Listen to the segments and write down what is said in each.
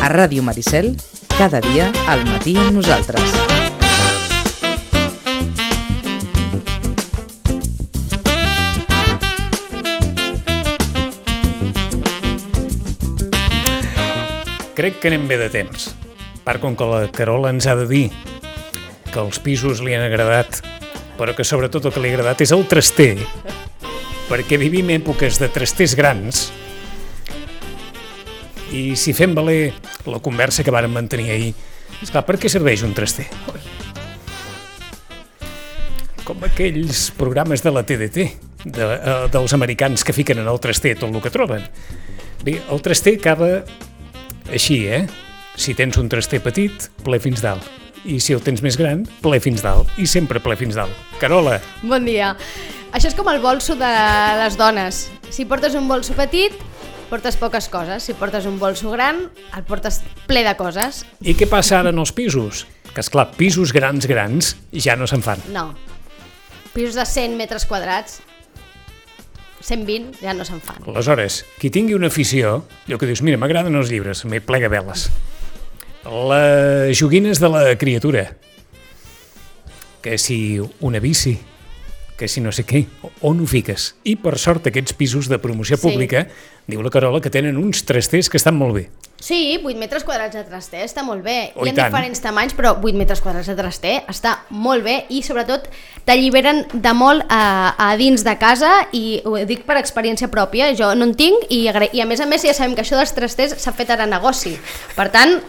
A Ràdio Maricel, cada dia al matí amb nosaltres. Crec que anem bé de temps, part com que la Carola ens ha de dir que els pisos li han agradat, però que sobretot el que li ha agradat és el traster, perquè vivim èpoques de trasters grans, i si fem valer la conversa que vàrem mantenir ahir, esclar, per què serveix un traster? Com aquells programes de la TDT, dels americans que fiquen en el traster tot el que troben. Bé, el traster acaba així, Si tens un traster petit, ple fins dalt. I si el tens més gran, ple fins dalt. I sempre ple fins dalt. Carola. Bon dia. Això és com el bolso de les dones. Si portes un bolso petit, portes poques coses. Si portes un bolso gran, el portes ple de coses. I què passa ara en els pisos? Que, esclar, pisos grans ja no se'n fan. No. Pisos de 100 metres quadrats, 120, ja no se'n fan. Aleshores, qui tingui una afició, allò que dius, mira, m'agraden els llibres, m'hi plega veles. Les joguines de la criatura, que si una bici, que si no sé què, on ho fiques? I per sort aquests pisos de promoció pública, diu la Carola, que tenen uns trasters que estan molt bé. Sí, 8 metres quadrats de traster està molt bé. Oh, hi ha diferents tamanys, però 8 metres quadrats de traster està molt bé i sobretot t'alliberen de molt a dins de casa, i ho dic per experiència pròpia, jo no en tinc i a més ja sabem que això dels trasters s'ha fet ara negoci. Per tant,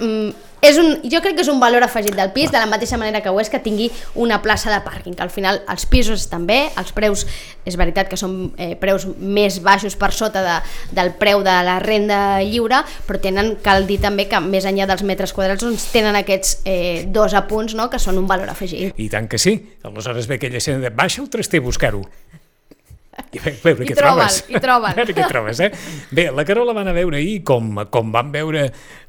jo crec que és un valor afegit del pis, de la mateixa manera que ho és que tingui una plaça de pàrquing, que al final els pisos estan bé, els preus és veritat que són preus més baixos per sota del preu de la renda lliure, però cal dir també que més enllà dels metres quadrats doncs tenen aquests dos apunts, no?, que són un valor afegit. I tant que sí, aleshores ve aquella escena de baixa el traster a buscar-ho. I troben. Què trobes, Bé, la Carola van a veure ahir com van veure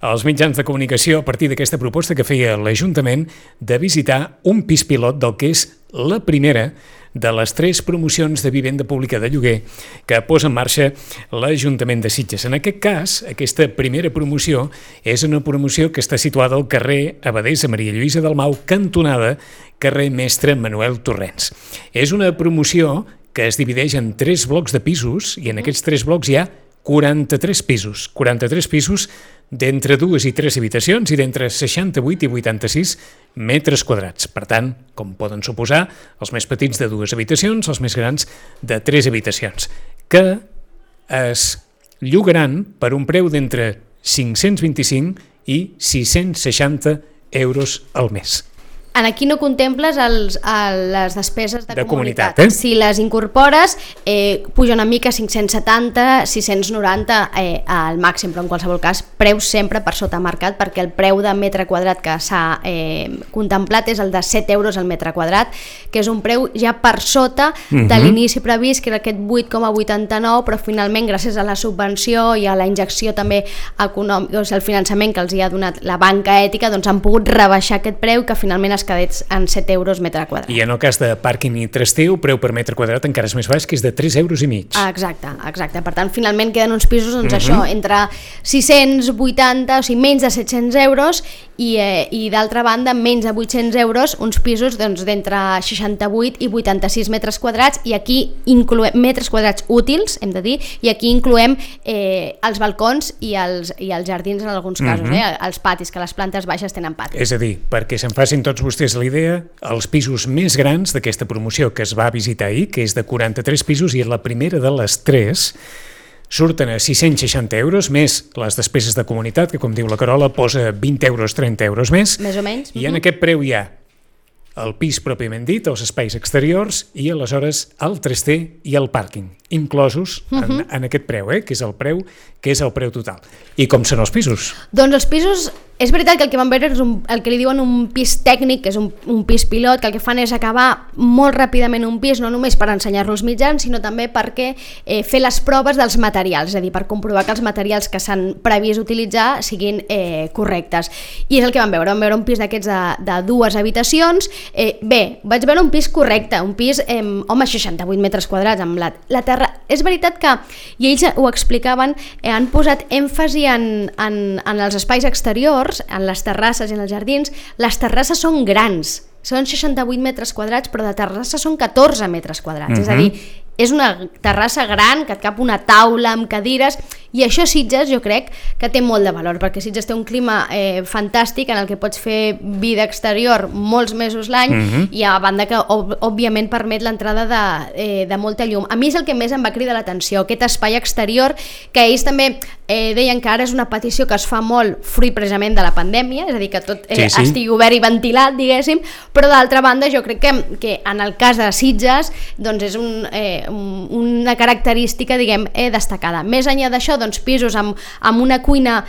els mitjans de comunicació a partir d'aquesta proposta que feia l'Ajuntament de visitar un pis pilot del que és la primera de les 3 promocions de vivenda pública de lloguer que posa en marxa l'Ajuntament de Sitges. En aquest cas, aquesta primera promoció és una promoció que està situada al carrer Abadessa Maria Lluïsa Dalmau, cantonada carrer Mestre Manuel Torrents. És una promoció que es divideix en 3 blocs de pisos, i en aquests 3 blocs hi ha 43 pisos d'entre 2 i 3 habitacions i d'entre 68 i 86 metres quadrats. Per tant, com poden suposar, els més petits de 2 habitacions, els més grans de 3 habitacions, que es llogaran per un preu d'entre 525 i 660 euros al mes. Aquí no contemples les despeses de comunitat. Si les incorpores, puja una mica 570, 690 al màxim, però en qualsevol cas, preus sempre per sota mercat, perquè el preu de metre quadrat que s'ha contemplat és el de 7 euros al metre quadrat, que és un preu ja per sota de l'inici previst, que era aquest 8,89, però finalment, gràcies a la subvenció i a la injecció també econòmica, o sigui, el finançament que els hi ha donat la banca ètica, doncs han pogut rebaixar aquest preu, que finalment es quedés en 7 euros metre quadrat. I en el cas de pàrquing i traster, el preu per metre quadrat encara és més baix, que és de 3,5 euros. Exacte. Per tant, finalment queden uns pisos, doncs això, entre 680, o sigui, menys de 700 euros, i d'altra banda, menys de 800 euros, uns pisos d'entre 68 i 86 metres quadrats, i aquí incloem metres quadrats útils, hem de dir, i aquí incloem els balcons i els jardins en alguns casos, els patis, que les plantes baixes tenen patis. És a dir, perquè se'n facin tots vostès la idea, els pisos més grans d'aquesta promoció que es va visitar ahir, que és de 43 pisos, i la primera de les 3 surten a 660 euros, més les despeses de comunitat, que com diu la Carola posa 20 euros, 30 euros més o menys. I en aquest preu hi ha el pis pròpiament dit, els espais exteriors, i aleshores el traster i el pàrquing, inclosos en aquest preu, que és el preu total. I com són els pisos? Doncs els pisos És veritat que el que vam veure és el que li diuen un pis tècnic, que és un pis pilot, que el que fan és acabar molt ràpidament un pis, no només per ensenyar-lo als mitjans, sinó també perquè fer les proves dels materials, és a dir, per comprovar que els materials que s'han previst utilitzar siguin correctes. I és el que vam veure un pis d'aquests de 2 habitacions. Bé, vaig veure un pis correcte, un pis, 68 metres quadrats, amb la terra. És veritat que, i ells ho explicaven, han posat èmfasi en els espais exteriors, en les terrasses i en els jardins. Les terrasses són grans, són 68 metres quadrats, però de terrassa són 14 metres quadrats, és a dir, és una terrassa gran, que et cap una taula amb cadires, i això Sitges jo crec que té molt de valor, perquè Sitges té un clima fantàstic en el que pots fer vida exterior molts mesos l'any, i a banda que òbviament permet l'entrada de molta llum. A mi és el que més em va cridar l'atenció, aquest espai exterior, que ells també deien que ara és una petició que es fa molt fruit precisament de la pandèmia, és a dir, que tot estigui obert i ventilat, diguéssim, però d'altra banda jo crec que en el cas de Sitges doncs és una característica, diguem, destacada. Més enllà d'això, doncs pisos amb una cuina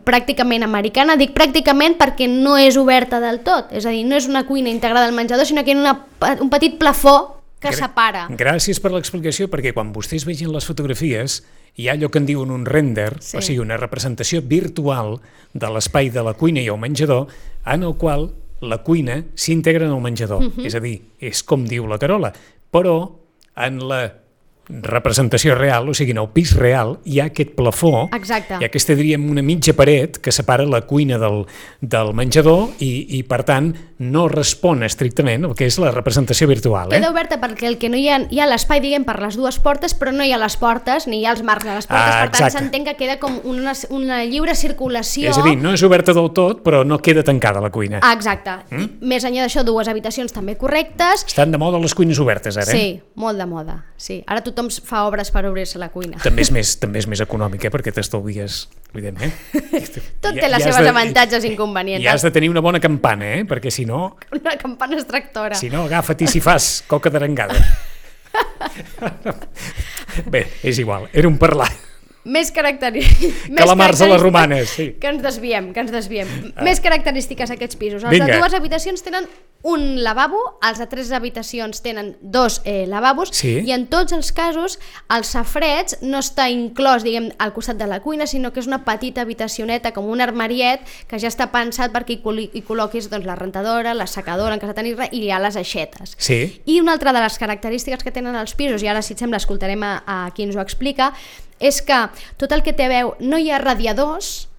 pràcticament americana. Dic pràcticament perquè no és oberta del tot, és a dir, no és una cuina integrada al menjador, sinó que hi ha un petit plafó que separa. Gràcies per l'explicació, perquè quan vostès vegin les fotografies hi ha allò que en diuen un render, o sigui, una representació virtual de l'espai de la cuina i el menjador, en el qual la cuina s'integra en el menjador. És a dir, és com diu la Carola, però en la representació real, o sigui, en el pis real, hi ha aquest plafó, exacte, hi ha aquesta, diríem, una mitja paret que separa la cuina del menjador i per tant, no respon estrictament el que és la representació virtual. Queda oberta perquè el que no hi ha l'espai, diguem, per les dues portes, però no hi ha les portes, ni hi ha els marcs de les portes, per tant s'entén que queda com una lliure circulació. És a dir, no és oberta del tot, però no queda tancada la cuina. Exacte. Més enllà d'això, 2 habitacions també correctes. Estan de moda les cuines obertes, ara, Sí, molt de moda. Sí. Ara tothom fa obres per obrir-se la cuina. També és més econòmic, perquè t'estalvies, evidentment. Tot té les seves avantatges i inconvenients. I has de tenir una bona campana, perquè si no... Una campana extractora. Si no, agafa't i si fas coca d'arengada. Bé, és igual, era un parlar. Més característiques... Calamars a les romanes, sí. Que ens desviem. Més característiques aquests pisos. Els de 2 habitacions tenen un lavabo, els de 3 habitacions tenen 2 lavabos, i en tots els casos el safareig no està inclòs, diguem, al costat de la cuina, sinó que és una petita habitacioneta, com un armariet, que ja està pensat perquè hi col·loquis doncs, la rentadora, la secadora en cas de tenir-la, i hi ha les aixetes. I una altra de les característiques que tenen els pisos, i ara si et sembla escoltarem a qui ens ho explica, és que tot el que té a veure, no hi ha radiadors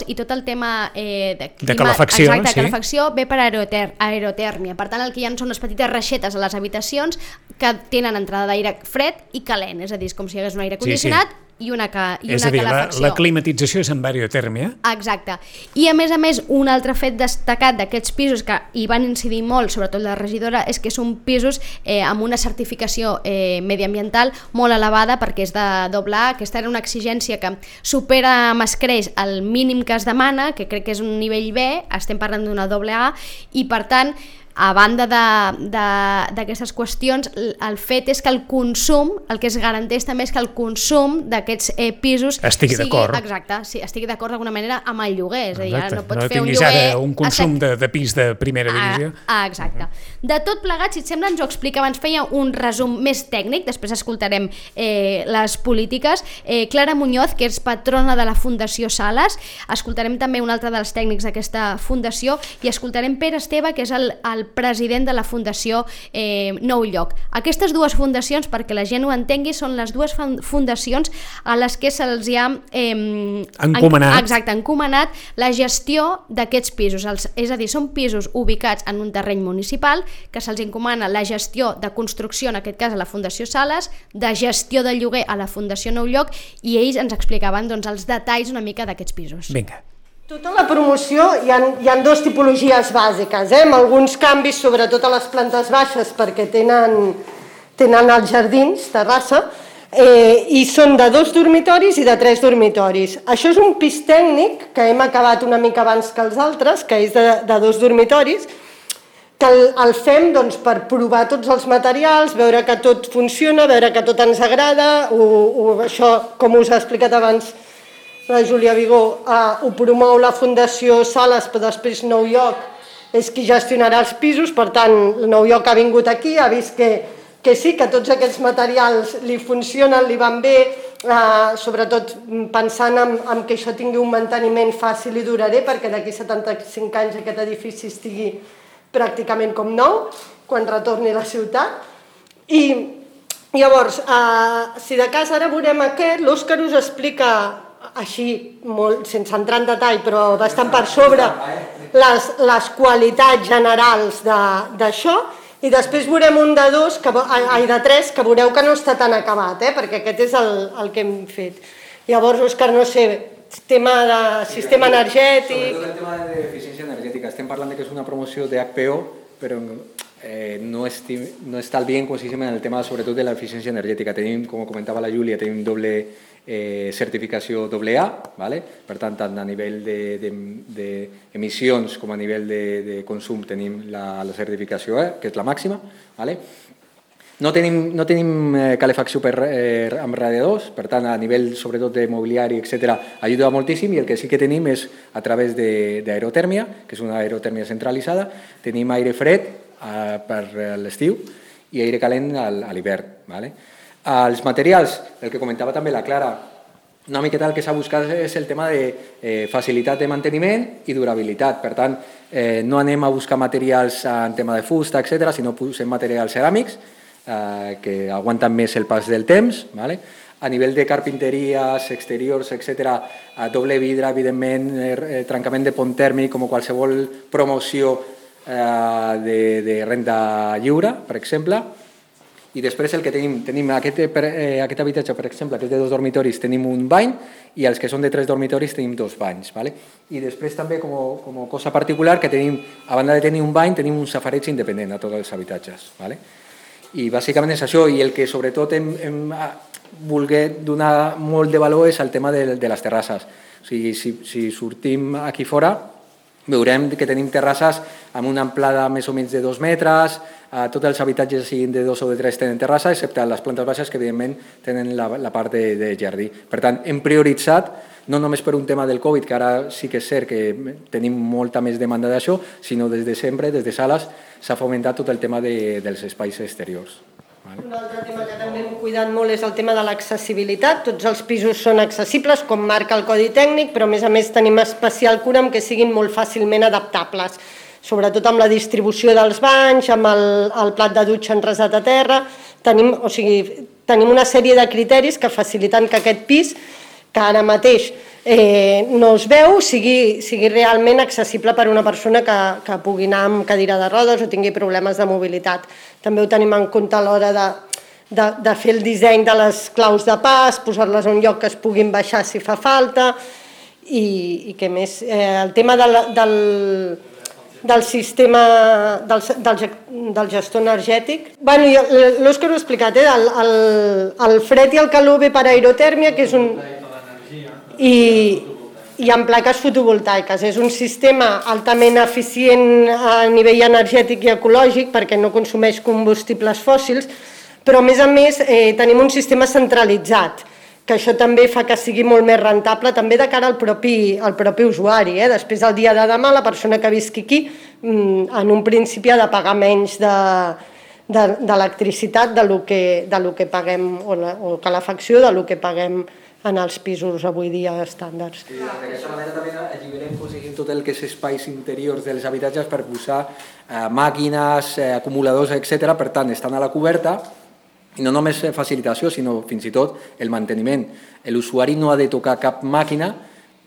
i tot el tema de calefacció, calefacció ve per aerotèrmia. Per tant, el que hi ha són unes petites reixetes a les habitacions que tenen entrada d'aire fred i calent, és a dir, és com si hi hagués un aire condicionat i una calefacció. És a dir, la climatització és amb aerotèrmia. Exacte. I a més, un altre fet destacat d'aquests pisos que hi van incidir molt, sobretot la regidora, és que són pisos amb una certificació mediambiental molt elevada, perquè és de AA. Aquesta era una exigència que supera amb escreix el mínim que es demana, que crec que és un nivell B, estem parlant d'una AA, i per tant, a banda d'aquestes qüestions, el fet és que el consum, el que es garanteix també és que el consum d'aquests pisos estigui d'acord. Exacte, sí, estigui d'acord d'alguna manera amb el lloguer, és a dir, no pots fer un lloguer... No tinguis ara un consum de pis de primera divisió. Exacte. De tot plegat, si et sembla, ens ho explica, abans feia un resum més tècnic, després escoltarem les polítiques. Clara Muñoz, que és patrona de la Fundació Sales, escoltarem també un altre dels tècnics d'aquesta fundació, i escoltarem Pere Esteve, que és el president de la Fundació Nou Lloc. Aquestes 2 fundacions, perquè la gent ho entengui, són les 2 fundacions a les que se'ls ha encomanat la gestió d'aquests pisos. És a dir, són pisos ubicats en un terreny municipal que se'ls encomana la gestió de construcció, en aquest cas a la Fundació Sales, de gestió de lloguer a la Fundació Nou Lloc, i ells ens explicaven doncs, els detalls una mica d'aquests pisos. Vinga. Tota la promoció hi ha 2 tipologies bàsiques, amb alguns canvis, sobretot a les plantes baixes, perquè tenen els jardins, terrassa, i són de 2 dormitoris i de 3 dormitoris. Això és un pis tècnic que hem acabat una mica abans que els altres, que és de 2 dormitoris, que el fem doncs, per provar tots els materials, veure que tot funciona, veure que tot ens agrada, això, com us he explicat abans, la Júlia Vigó, ho promou la Fundació Sales, però després Nou Lloc és qui gestionarà els pisos, per tant, Nou Lloc ha vingut aquí, ha vist que sí, que tots aquests materials li funcionen, li van bé, sobretot pensant en que això tingui un manteniment fàcil i durador, perquè d'aquí 75 anys aquest edifici estigui pràcticament com nou, quan retorni a la ciutat. I llavors, si de cas ara veurem aquest, l'Òscar us explica així, sense entrar en detall, però bastant per sobre, les qualitats generals d'això, i després veurem un de tres, que veureu que no està tan acabat, perquè aquest és el que hem fet. Llavors, Òscar, no sé, tema de sistema energètic... Sobretot el tema d'eficiència energètica. Estem parlant que és una promoció d'HPO, però no està bien com si en el tema sobretot de l'eficiència energètica. Tenim, com comentava la Júlia, tenim doble certificació AA, per tant, tant a nivell d'emissions com a nivell de consum tenim la certificació E, que és la màxima. No tenim calefacció amb radiadors, per tant, a nivell sobretot de mobiliari, etc., ajuda moltíssim, i el que sí que tenim és a través d'aerotèrmia, que és una aerotèrmia centralitzada, tenim aire fred per l'estiu i aire calent a l'hivern. Els materials, el que comentava també la Clara, una miqueta el que s'ha buscat és el tema de facilitat de manteniment i durabilitat. Per tant, no anem a buscar materials en tema de fusta, etc., sinó posem materials ceràmics que aguanten més el pas del temps. A nivell de carpinteries, exteriors, etc., doble vidre, evidentment, trencament de pont tèrmic, com qualsevol promoció de renda lliure, per exemple. I després el que tenim aquest habitatge, per exemple, que és de 2 dormitoris, tenim un bany, i els que són de 3 dormitoris tenim 2 banys. I després també, com a cosa particular, que tenim, a banda de tenir un bany, tenim un safareig independent a tots els habitatges. I bàsicament és això, i el que sobretot hem volgut donar molt de valor és el tema de les terrasses. O sigui, si sortim aquí fora, veurem que tenim terrasses amb una amplada més o menys de 2 metres, tots els habitatges siguin de 2 o de 3 tenen terrassa, excepte les plantes baixes que evidentment tenen la part de jardí. Per tant, hem prioritzat, no només per un tema del Covid, que ara sí que és cert que tenim molta més demanda d'això, sinó des de sempre, des de Sales, s'ha fomentat tot el tema dels espais exteriors. Un altre tema que també hem cuidat molt és el tema de l'accessibilitat. Tots els pisos són accessibles, com marca el Codi Tècnic, però a més tenim especial cura amb que siguin molt fàcilment adaptables, sobretot amb la distribució dels banys, amb el plat de dutxa enresat a terra. Tenim una sèrie de criteris que faciliten que aquest pis, que ara mateix no es veu, sigui realment accessible per a una persona que pugui anar amb cadira de rodes o tingui problemes de mobilitat. També ho tenim en compte a l'hora de fer el disseny de les claus de pas, posar-les a un lloc que es puguin baixar si fa falta, i què més? El tema del sistema del gestor energètic. L'Òscar ho ha explicat, el fred i el calor ve per aerotèrmia, que és un... i amb plaques fotovoltaiques. És un sistema altament eficient a nivell energètic i ecològic perquè no consumeix combustibles fòssils, però a més tenim un sistema centralitzat, que això també fa que sigui molt més rentable també de cara al propi usuari. Després, el dia de demà, la persona que visqui aquí, en un principi ha de pagar menys d'electricitat del que paguem, o calefacció, del que paguem en els pisos avui dia estàndards. D'aquesta manera també alliberem tot el que és espais interiors dels habitatges per posar màquines, acumuladors, etc. Per tant, estan a la coberta, i no només facilitació, sinó fins i tot el manteniment. L'usuari no ha de tocar cap màquina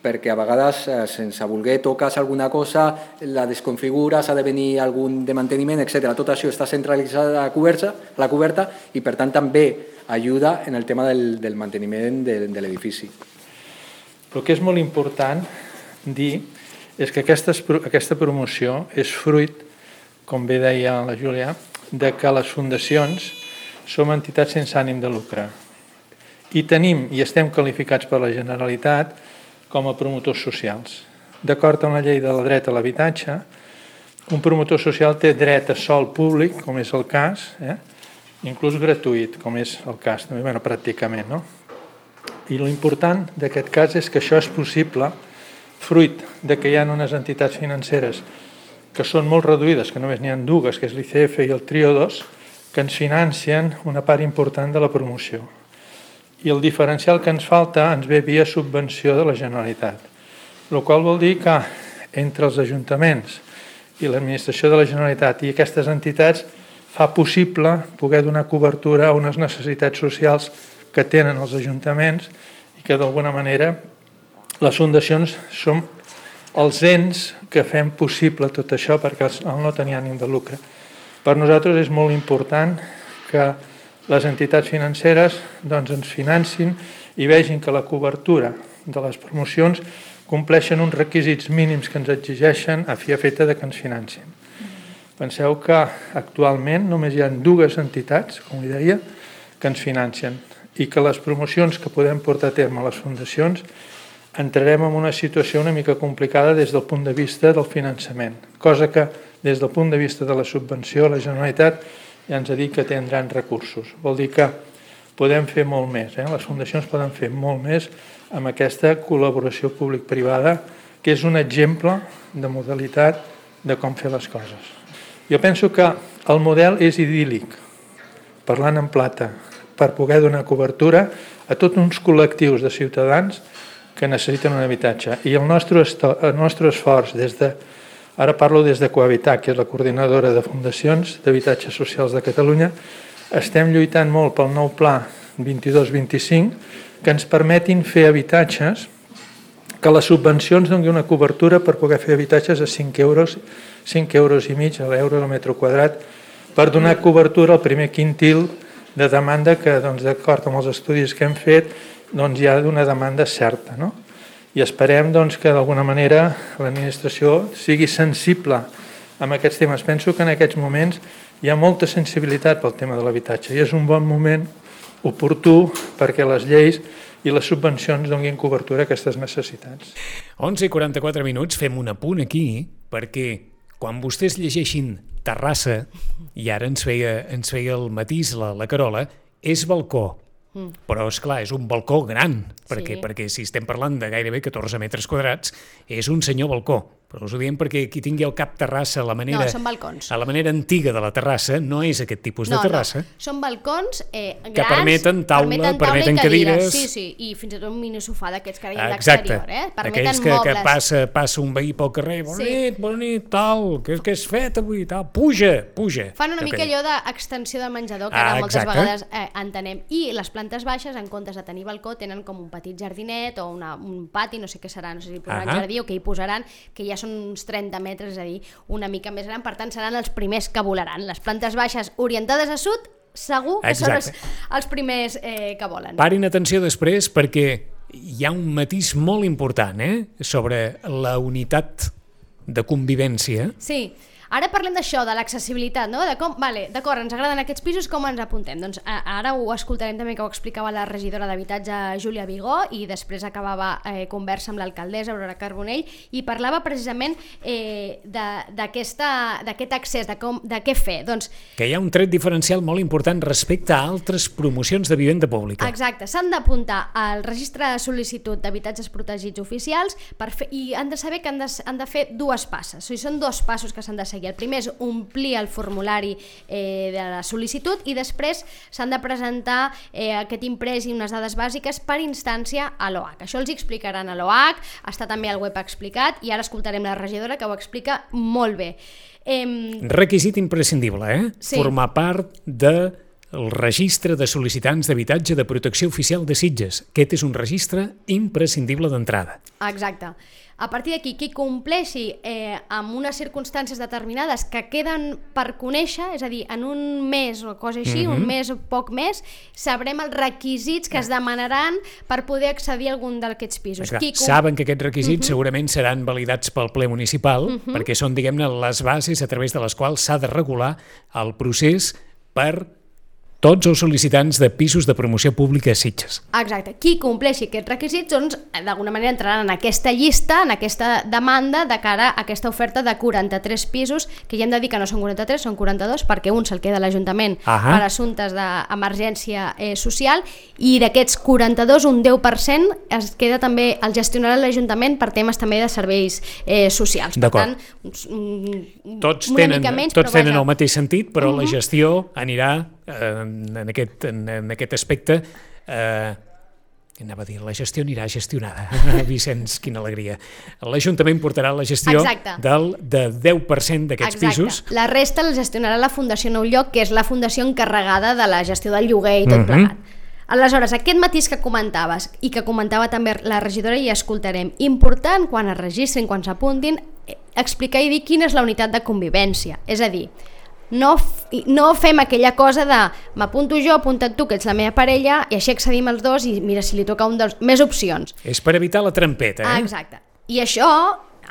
perquè a vegades, sense voler, toques alguna cosa, la desconfigures, ha de venir algun de manteniment, etc. Tot això està centralitzat a la coberta i, per tant, també ajuda en el tema del manteniment de l'edifici. El que és molt important dir és que aquesta promoció és fruit, com bé deia la Júlia, de que les fundacions som entitats sense ànim de lucre i tenim i estem qualificats per la Generalitat com a promotors socials. D'acord amb la llei de la dret a l'habitatge, un promotor social té dret a sòl públic, com és el cas, inclús gratuït, com és el cas, pràcticament. I l'important d'aquest cas és que això és possible fruit de que hi ha unes entitats financeres que són molt reduïdes, que només n'hi ha dues, que és l'ICF i el Trio 2, que ens financien una part important de la promoció. I el diferencial que ens falta ens ve via subvenció de la Generalitat, el qual vol dir que entre els ajuntaments i l'administració de la Generalitat i aquestes entitats fa possible poder donar cobertura a unes necessitats socials que tenen els ajuntaments i que d'alguna manera les fundacions som els ens que fem possible tot això perquè no tenir ànim de lucre. Per nosaltres és molt important que les entitats financeres ens financin i vegin que la cobertura de les promocions compleixen uns requisits mínims que ens exigeixen a fi efecte de que ens financin. Penseu que actualment només hi ha dues entitats, com deia, que ens financen i que les promocions que podem portar a terme a les fundacions entrarem en una situació una mica complicada des del punt de vista del finançament, cosa que des del punt de vista de la subvenció la Generalitat ja ens ha dit que tindran recursos. Vol dir que podem fer molt més, les fundacions poden fer molt més amb aquesta col·laboració públic-privada, que és un exemple de modalitat de com fer les coses. Jo penso que el model és idíl·lic, parlant en plata, per poder donar cobertura a tots uns col·lectius de ciutadans que necessiten un habitatge. I el nostre esforç, ara parlo des de Cohabitat, que és la coordinadora de fundacions d'habitatges socials de Catalunya, estem lluitant molt pel nou pla 22-25, que ens permetin fer habitatges, que les subvencions donin una cobertura per poder fer habitatges a 5 euros i mig a l'euro al metre quadrat, per donar cobertura al primer quintil de demanda que, d'acord amb els estudis que hem fet, hi ha una demanda certa. I esperem que d'alguna manera l'administració sigui sensible amb aquests temes. Penso que en aquests moments hi ha molta sensibilitat pel tema de l'habitatge i és un bon moment oportú perquè les lleis i les subvencions donin cobertura a aquestes necessitats. 11:44 minuts, fem un apunt aquí, perquè quan vostès llegeixin Terrassa, i ara ens feia el matís la Carola, és balcó. Però, esclar, és un balcó gran, perquè si estem parlant de gairebé 14 metres quadrats, és un senyor balcó. Però us ho diem perquè qui tingui al cap terrassa a la manera... No, són balcons. A la manera antiga de la terrassa, no és aquest tipus de terrassa. No, són balcons grans... Que permeten taula, permeten cadires... Sí, i fins i tot un minisofà d'aquests que ara hi ha a l'exterior, Permeten aquells mobles. Que passa un veí pel carrer, bonit, tal, què has fet avui, tal, puja. Fan una mica allò d'extensió del menjador, que ara moltes vegades entenem. I les plantes baixes, en comptes de tenir balcó, tenen com un petit jardinet o un pati, no sé què serà, no sé si posaran jardí o què hi posaran, que ja són uns 30 metres, és a dir, una mica més gran, per tant seran els primers que volaran. Les plantes baixes orientades a sud, segur que són els primers que volen. Parin atenció després perquè hi ha un matís molt important sobre la unitat de convivència. Sí. Ara parlem d'això, de l'accessibilitat, no? De com, d'acord, ens agraden aquests pisos, com ens apuntem? Doncs ara ho escoltarem també, que ho explicava la regidora d'Habitatge, Júlia Vigó, i després acabava conversa amb l'alcaldessa, Aurora Carbonell, i parlava precisament d'aquest accés, de què fer. Doncs, que hi ha un tret diferencial molt important respecte a altres promocions de vivenda pública. Exacte, s'han d'apuntar al registre de sol·licitud d'habitatges protegits oficials i han de saber que han de fer dues passes. O sigui, són dos passos que s'han de seguir. El primer és omplir el formulari de la sol·licitud i després s'han de presentar aquest imprès i unes dades bàsiques per instància a l'OAC. Això els explicaran a l'OAC, està també al web explicat i ara escoltarem la regidora que ho explica molt bé. Requisit imprescindible, Sí. Formar part del registre de sol·licitants d'habitatge de protecció oficial de Sitges. Aquest és un registre imprescindible d'entrada. Exacte. A partir d'aquí, qui compleixi amb unes circumstàncies determinades que queden per conèixer, és a dir, en un mes o cosa així, un mes o poc més, sabrem els requisits que es demanaran per poder accedir a algun d'aquests pisos. Saben que aquests requisits segurament seran validats pel ple municipal, perquè són, diguem-ne, les bases a través de les quals s'ha de regular el procés per tots els sol·licitants de pisos de promoció pública a Sitges. Exacte. Qui compleixi aquests requisits, doncs, d'alguna manera entraran en aquesta llista, en aquesta demanda de cara a aquesta oferta de 43 pisos, que ja hem de dir que no són 43, són 42, perquè un se'l queda a l'Ajuntament per assumptes d'emergència social, i d'aquests 42, un 10% es queda també, el gestionarà l'Ajuntament per temes també de serveis socials. Per tant, tots tenen el mateix sentit, però la gestió anirà en aquest aspecte, anava a dir, la gestió anirà gestionada. Vicenç, quina alegria. L'Ajuntament portarà la gestió del 10% d'aquests pisos. La resta la gestionarà la Fundació Nou Lloc, que és la fundació encarregada de la gestió del lloguer i tot plegat. Aleshores, aquest matís que comentaves i que comentava també la regidora, i escoltarem, important quan es registrin, quan s'apuntin, explicar i dir quina és la unitat de convivència. És a dir, no fem aquella cosa de m'apunto jo, apunta't tu, que ets la meva parella, i així accedim els dos i mira si li toca un dels... Més opcions. És per evitar la trampeta, Exacte. I això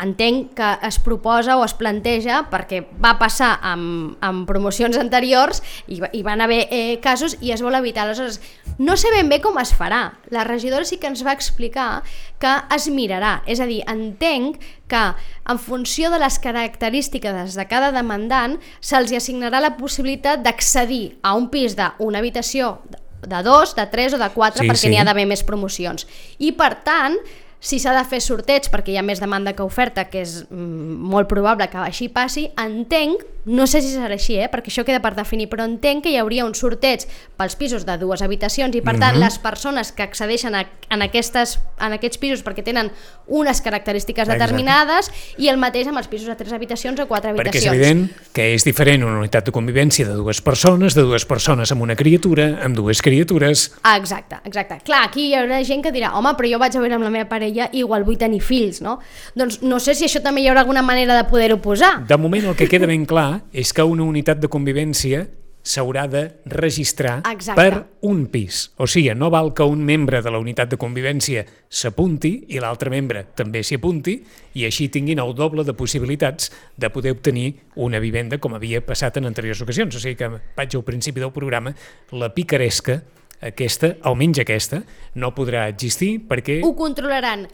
entenc que es proposa o es planteja perquè va passar amb promocions anteriors i van haver casos i es vol evitar. Aleshores, no sé ben bé com es farà. La regidora sí que ens va explicar que es mirarà. És a dir, entenc que en funció de les característiques de cada demandant se'ls assignarà la possibilitat d'accedir a un pis d'una habitació de 2, de 3 o de 4 perquè n'hi ha d'haver més promocions. I per tant, si s'ha de fer sorteig perquè hi ha més demanda que oferta, que és molt probable que així passi, entenc, no sé si serà així, perquè això queda per definir, però entenc que hi hauria un sorteig pels pisos de 2 habitacions i per tant les persones que accedeixen en aquests pisos perquè tenen unes característiques determinades i el mateix amb els pisos de 3 habitacions o 4 habitacions. Perquè és evident que és diferent una unitat de convivència de 2 persones amb una criatura, amb 2 criatures... Exacte. Clar, aquí hi haurà gent que dirà home, però jo vaig a veure amb la meva parella i igual vull tenir fills, no? Doncs no sé si això també hi haurà alguna manera de poder-ho posar. De moment el que queda ben clar és que una unitat de convivència s'haurà de registrar per un pis. O sigui, no val que un membre de la unitat de convivència s'apunti i l'altre membre també s'hi apunti i així tinguin el doble de possibilitats de poder obtenir una vivenda com havia passat en anteriors ocasions. O sigui que vaig al principi del programa, la picaresca aquesta, almenys aquesta, no podrà existir perquè... Ho controlaran.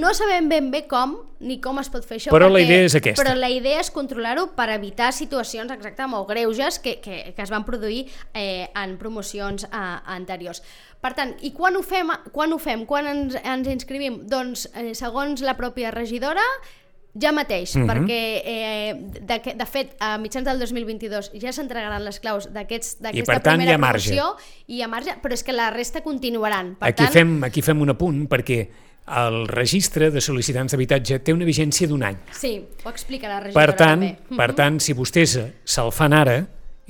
No sabem ben bé com ni com es pot fer això. Però la idea és aquesta. Però la idea és controlar-ho per evitar situacions molt greuges que es van produir en promocions anteriors. Per tant, i quan ho fem? Quan ens inscrivim? Doncs, segons la pròpia regidora, ja mateix, perquè de fet a mitjans del 2022 ja s'entregaran les claus d'aquesta primera promoció i hi ha marge, però és que la resta continuaran. Aquí fem un apunt perquè el registre de sol·licitants d'habitatge té una vigència d'1 any. Sí, ho explica la regidora. Per tant, si vostès se'l fan ara,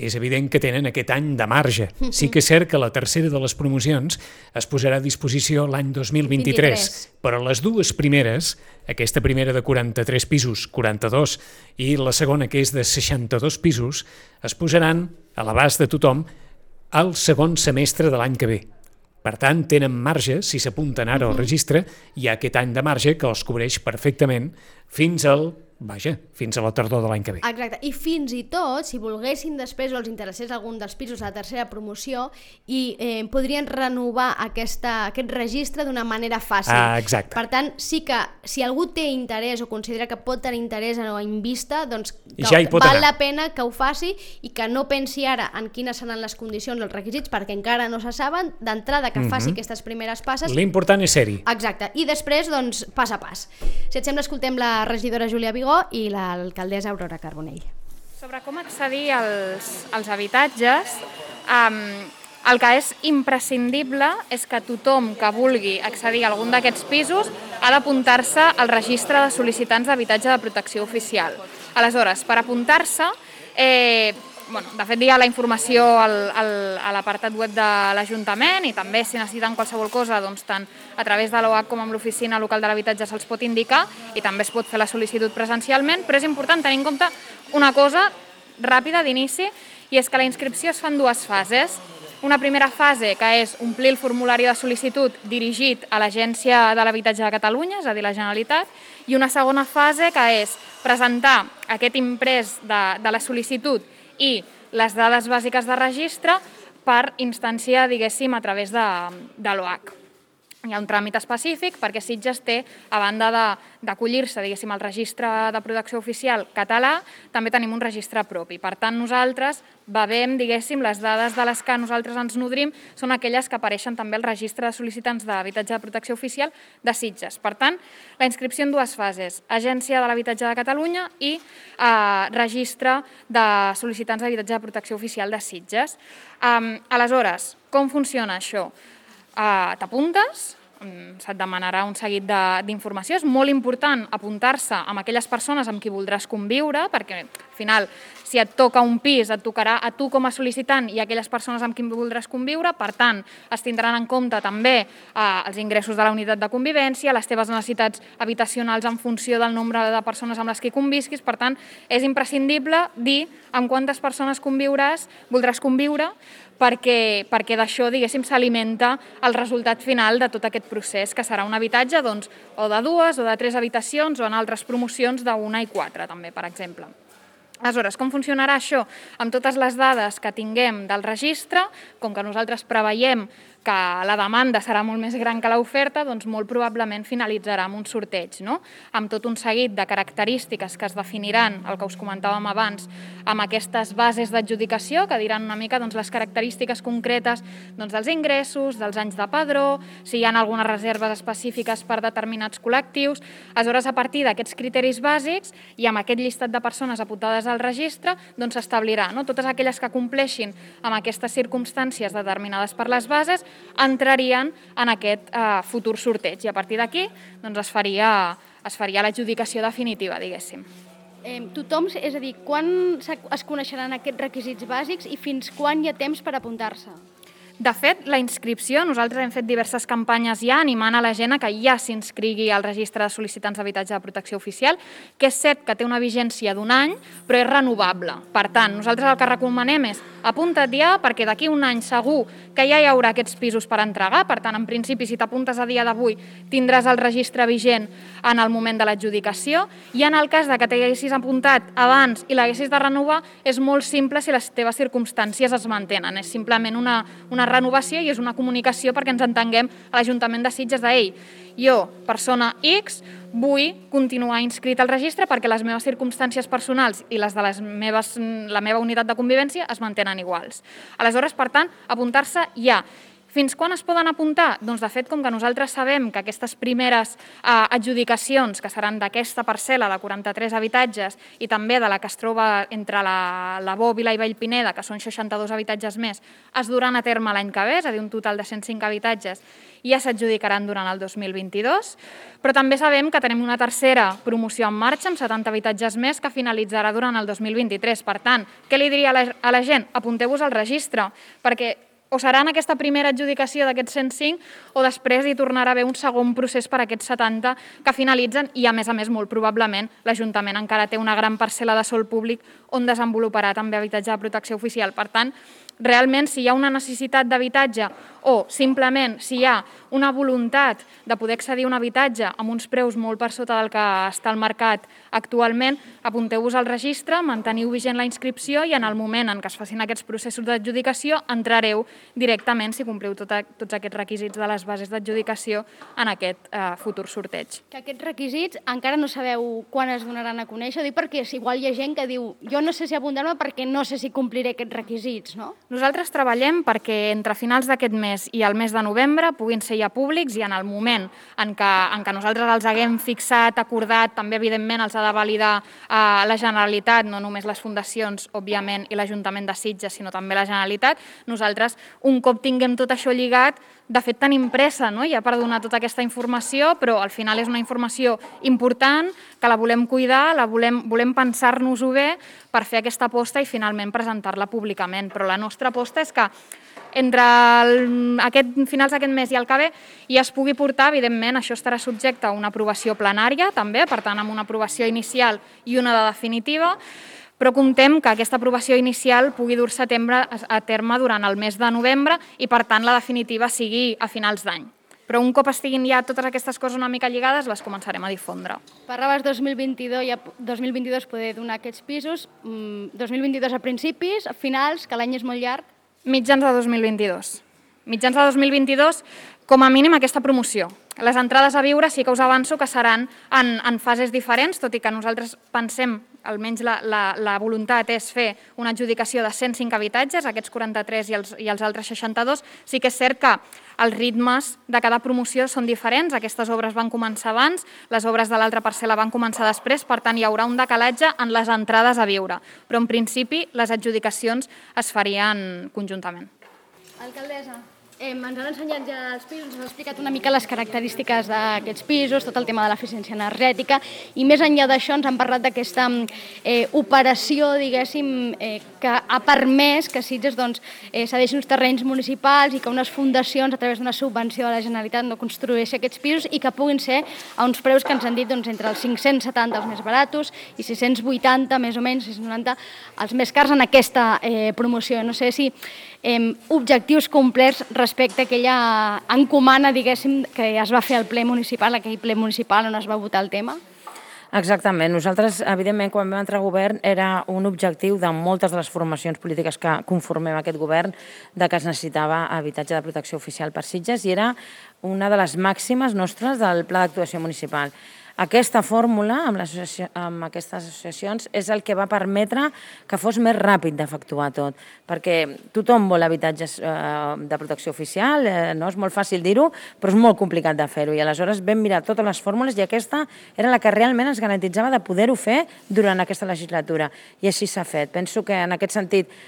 és evident que tenen aquest any de marge. Sí que és cert que la tercera de les promocions es posarà a disposició l'any 2023, però les 2 primeres, aquesta primera de 43 pisos, 42, i la segona, que és de 62 pisos, es posaran a l'abast de tothom al segon semestre de l'any que ve. Per tant, tenen marge, si s'apunten ara al registre, hi ha aquest any de marge que els cobreix perfectament fins a la tardor de l'any que ve. Exacte, i fins i tot, si volguessin després o els interessés algun dels pisos de la tercera promoció i podrien renovar aquest registre d'una manera fàcil. Exacte. Per tant, sí que si algú té interès o considera que pot tenir interès o en vista, doncs val la pena que ho faci i que no pensi ara en quines seran les condicions, els requisits, perquè encara no se saben, d'entrada que faci aquestes primeres passes. L'important és ser-hi. Exacte, i després, doncs, pas a pas. Si et sembla, escoltem la regidora Júlia Vigó i l'alcaldessa Aurora Carbonell. Sobre com accedir als habitatges, el que és imprescindible és que tothom que vulgui accedir a algun d'aquests pisos ha d'apuntar-se al registre de sol·licitants d'habitatge de protecció oficial. Aleshores, per apuntar-se, de fet hi ha la informació a l'apartat web de l'Ajuntament i també si necessiten qualsevol cosa, doncs tant a través de l'OAC com amb l'oficina local de l'habitatge se'ls pot indicar i també es pot fer la sol·licitud presencialment, però és important tenir en compte una cosa ràpida d'inici i és que la inscripció es fa en 2 fases. Una primera fase que és omplir el formulari de sol·licitud dirigit a l'Agència de l'Habitatge de Catalunya, és a dir, la Generalitat, i una segona fase que és presentar aquest imprès de la sol·licitud i les dades bàsiques de registre per instància, diguéssim, a través de l'OAC. Hi ha un tràmit específic perquè Sitges té, a banda d'acollir-se, diguéssim, al registre de protecció oficial català, també tenim un registre propi. Per tant, nosaltres bevem, diguéssim, les dades de les que nosaltres ens nodrim són aquelles que apareixen també al registre de sol·licitants d'habitatge de protecció oficial de Sitges. Per tant, la inscripció en dues fases, Agència de l'Habitatge de Catalunya i registre de sol·licitants d'habitatge de protecció oficial de Sitges. Aleshores, com funciona això? T'apuntes, se't demanarà un seguit d'informació. És molt important apuntar-se amb aquelles persones amb qui voldràs conviure, perquè al final, si et toca un pis, et tocarà a tu com a sol·licitant i a aquelles persones amb qui voldràs conviure. Per tant, es tindran en compte també els ingressos de la unitat de convivència, les teves necessitats habitacionals en funció del nombre de persones amb les que convisquis. Per tant, és imprescindible dir amb quantes persones voldràs conviure, perquè d'això, diguéssim, s'alimenta el resultat final de tot aquest procés, que serà un habitatge o de 2 o de 3 habitacions o en altres promocions d'1 i 4, també, per exemple. Aleshores, com funcionarà això? Amb totes les dades que tinguem del registre, com que nosaltres preveiem que la demanda serà molt més gran que l'oferta, doncs molt probablement finalitzarà amb un sorteig, no? Amb tot un seguit de característiques que es definiran, el que us comentàvem abans, amb aquestes bases d'adjudicació, que diran una mica les característiques concretes dels ingressos, dels anys de padró, si hi ha algunes reserves específiques per determinats col·lectius. Aleshores, a partir d'aquests criteris bàsics i amb aquest llistat de persones apuntades al registre, s'establirà, totes aquelles que compleixin amb aquestes circumstàncies determinades per les bases entrarien en aquest futur sorteig i a partir d'aquí es faria l'adjudicació definitiva, diguéssim. Tothom, és a dir, quan es coneixeran aquests requisits bàsics i fins quan hi ha temps per apuntar-se? De fet, la inscripció, nosaltres hem fet diverses campanyes ja animant a la gent a que ja s'inscrigui al registre de sol·licitants d'habitatge de protecció oficial, que és cert que té una vigència d'1 any, però és renovable. Per tant, nosaltres el que recomanem és apunta't ja, perquè d'aquí 1 any segur que ja hi haurà aquests pisos per entregar. Per tant, en principi, si t'apuntes a dia d'avui, tindràs el registre vigent en el moment de l'adjudicació, i en el cas que t'haguessis apuntat abans i l'haguessis de renovar, és molt simple si les teves circumstàncies es mantenen. És simplement una renovació i és una comunicació perquè ens entenguem a l'Ajuntament de Sitges de jo, persona X, vull continuar inscrit al registre perquè les meves circumstàncies personals i les de la meva unitat de convivència es mantenen iguals. Aleshores, per tant, apuntar-se ja. Fins quan es poden apuntar? Doncs, de fet, com que nosaltres sabem que aquestes primeres adjudicacions, que seran d'aquesta parcel·la de 43 habitatges i també de la que es troba entre la Bòbila i Vallpineda, que són 62 habitatges més, es duran a terme l'any que ve, és a dir, un total de 105 habitatges, i ja s'adjudicaran durant el 2022, però també sabem que tenim una tercera promoció en marxa amb 70 habitatges més que finalitzarà durant el 2023. Per tant, què li diria a la gent? Apunteu-vos al registre, perquè o serà en aquesta primera adjudicació d'aquests 105 o després hi tornarà a haver un segon procés per a aquests 70 que finalitzen i, a més, molt probablement, l'Ajuntament encara té una gran parcel·la de sòl públic on desenvoluparà també habitatge de protecció oficial. Per tant, realment, si hi ha una necessitat d'habitatge o simplement si hi ha una voluntat de poder accedir a un habitatge amb uns preus molt per sota del que està al mercat actualment, apunteu-vos al registre, manteniu vigent la inscripció i en el moment en què es facin aquests processos d'adjudicació entrareu directament, si compliu tots aquests requisits de les bases d'adjudicació, en aquest futur sorteig. Que aquests requisits encara no sabeu quan es donaran a conèixer, dic perquè igual hi ha gent que diu jo no sé si apuntar-me perquè no sé si compliré aquests requisits, no? Nosaltres treballem perquè entre finals d'aquest mes i el mes de novembre puguin ser ja públics i en el moment en què nosaltres els haguem fixat, acordat, també evidentment els ha de validar la Generalitat, no només les fundacions, òbviament, i l'Ajuntament de Sitges, sinó també la Generalitat. Nosaltres, un cop tinguem tot això lligat, de fet tenim pressa ja per donar tota aquesta informació, però al final és una informació important, que la volem cuidar, volem pensar-nos-ho bé per fer aquesta aposta i finalment presentar-la públicament. Però la nostra aposta és que entre finals d'aquest mes i el que ve ja es pugui portar, evidentment, això estarà subjecte a una aprovació plenària també, per tant, amb una aprovació inicial i una de definitiva, però comptem que aquesta aprovació inicial pugui dur-se a terme durant el mes de novembre i, per tant, la definitiva sigui a finals d'any. Però un cop estiguin ja totes aquestes coses una mica lligades, les començarem a difondre. Parlaves 2022 poder donar aquests pisos, 2022 a principis, a finals, que l'any és molt llarg. Mitjans de 2022. Mitjans de 2022, com a mínim aquesta promoció. Les entrades a viure sí que us avanço que seran en fases diferents, tot i que nosaltres pensem, almenys la voluntat és fer una adjudicació de 105 habitatges, aquests 43 i els altres 62. Sí que és cert que els ritmes de cada promoció són diferents, aquestes obres van començar abans, les obres de l'altra parcel·la van començar després, per tant hi haurà un decalatge en les entrades a viure, però en principi les adjudicacions es farien conjuntament. Alcaldessa, ens han ensenyat ja els pisos, ens ha explicat una mica les característiques d'aquests pisos, tot el tema de l'eficiència energètica, i més enllà d'això ens han parlat d'aquesta operació, diguéssim, que ha permès que Sitges cedeixi uns terrenys municipals i que unes fundacions, a través d'una subvenció de la Generalitat, no construeixi aquests pisos i que puguin ser a uns preus que ens han dit entre els 570 els més baratos i 680, més o menys, 690, els més cars en aquesta promoció. No sé si objectius complerts respecte a aquella encomana, diguéssim, que es va fer al ple municipal, aquell ple municipal on es va votar el tema? Exactament. Nosaltres, evidentment, quan vam entrar al govern, era un objectiu de moltes de les formacions polítiques que conformem aquest govern de que es necessitava habitatge de protecció oficial per Sitges i era una de les màximes nostres del Pla d'Actuació Municipal. Aquesta fórmula, amb aquestes associacions, és el que va permetre que fos més ràpid d'efectuar tot, perquè tothom vol habitatges de protecció oficial, no és molt fàcil dir-ho, però és molt complicat de fer-ho, i aleshores vam mirar totes les fórmules i aquesta era la que realment ens garantitzava de poder-ho fer durant aquesta legislatura, i així s'ha fet. Penso que en aquest sentit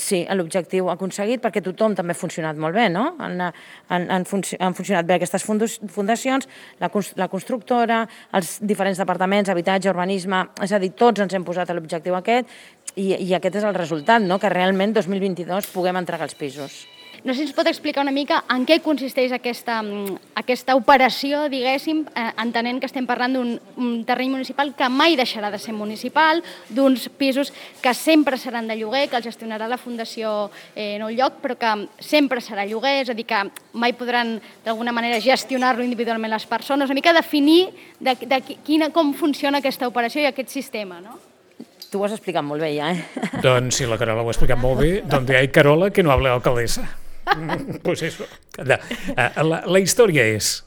sí, l'objectiu aconseguit, perquè tothom també ha funcionat molt bé, no? Han funcionat bé aquestes fundacions, la constructora, els diferents departaments, habitatge, urbanisme, és a dir, tots ens hem posat a l'objectiu aquest i aquest és el resultat, no? Que realment 2022 puguem entregar els pisos. No sé si ens pot explicar una mica en què consisteix aquesta operació, diguéssim, entenent que estem parlant d'un terreny municipal que mai deixarà de ser municipal, d'uns pisos que sempre seran de lloguer, que els gestionarà la Fundació Nou Lloc, però que sempre serà lloguer, és a dir, que mai podran d'alguna manera gestionar-lo individualment les persones, una mica definir com funciona aquesta operació i aquest sistema, no? Tu ho has explicat molt bé ja, Doncs si la Carola ho ha explicat molt bé, donde hay Carola que no hable alcaldesa. Pues eso. La història és,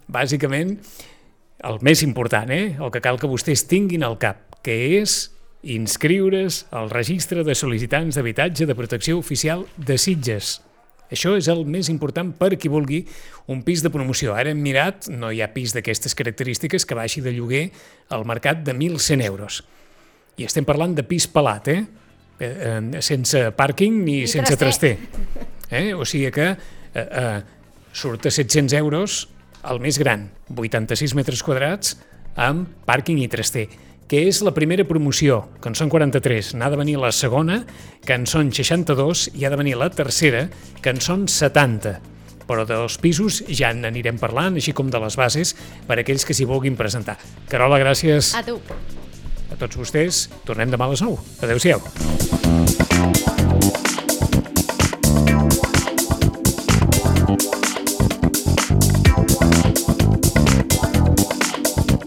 bàsicament, el més important, el que cal que vostès tinguin al cap, que és inscriure's al registre de sol·licitants d'habitatge de protecció oficial de Sitges. Això és el més important per qui vulgui un pis de promoció. Ara hem mirat, no hi ha pis d'aquestes característiques que baixi de lloguer al mercat de 1.100 euros. I estem parlant de pis pelat, sense pàrquing ni sense traster. O sigui que surt a 700 euros el més gran, 86 metres quadrats amb pàrquing i traster, que és la primera promoció, que en són 43, n'ha de venir la segona, que en són 62, i ha de venir la tercera, que en són 70. Però dels pisos ja n'anirem parlant, així com de les bases, per a aquells que s'hi vulguin presentar. Carola, gràcies. A tu. A tots vostès, tornem demà a les 9. Adéu-siau.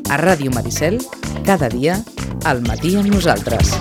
A Ràdio Maricel, cada dia, al matí amb nosaltres.